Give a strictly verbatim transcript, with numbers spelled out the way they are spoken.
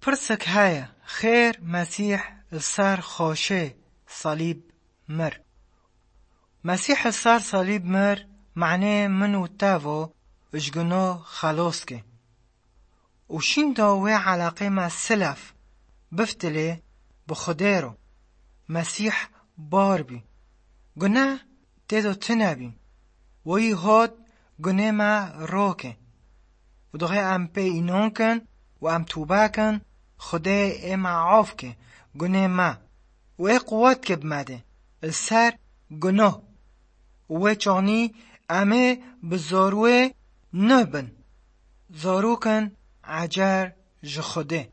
Pirsik heye, xêr Mesîh li ser xoşê salîb mir? Mesîh li ser salîb mir, manê min û te vo ji guno xelos ke. Û şînda wê eleqê me silef biftilê bi Xwedê ro. Mesîh bar bî. Guneh tê do tine bî. Wî hot gunê me roke. Û dixê em pê înan kin û em tûbe kin, Xwedê ê me af ke gunê me. Û ê quwet ke bi me de li ser gunoh. Û wê çaxnî em ê bi zarwê nibin zarokin ecer ji Xwedê.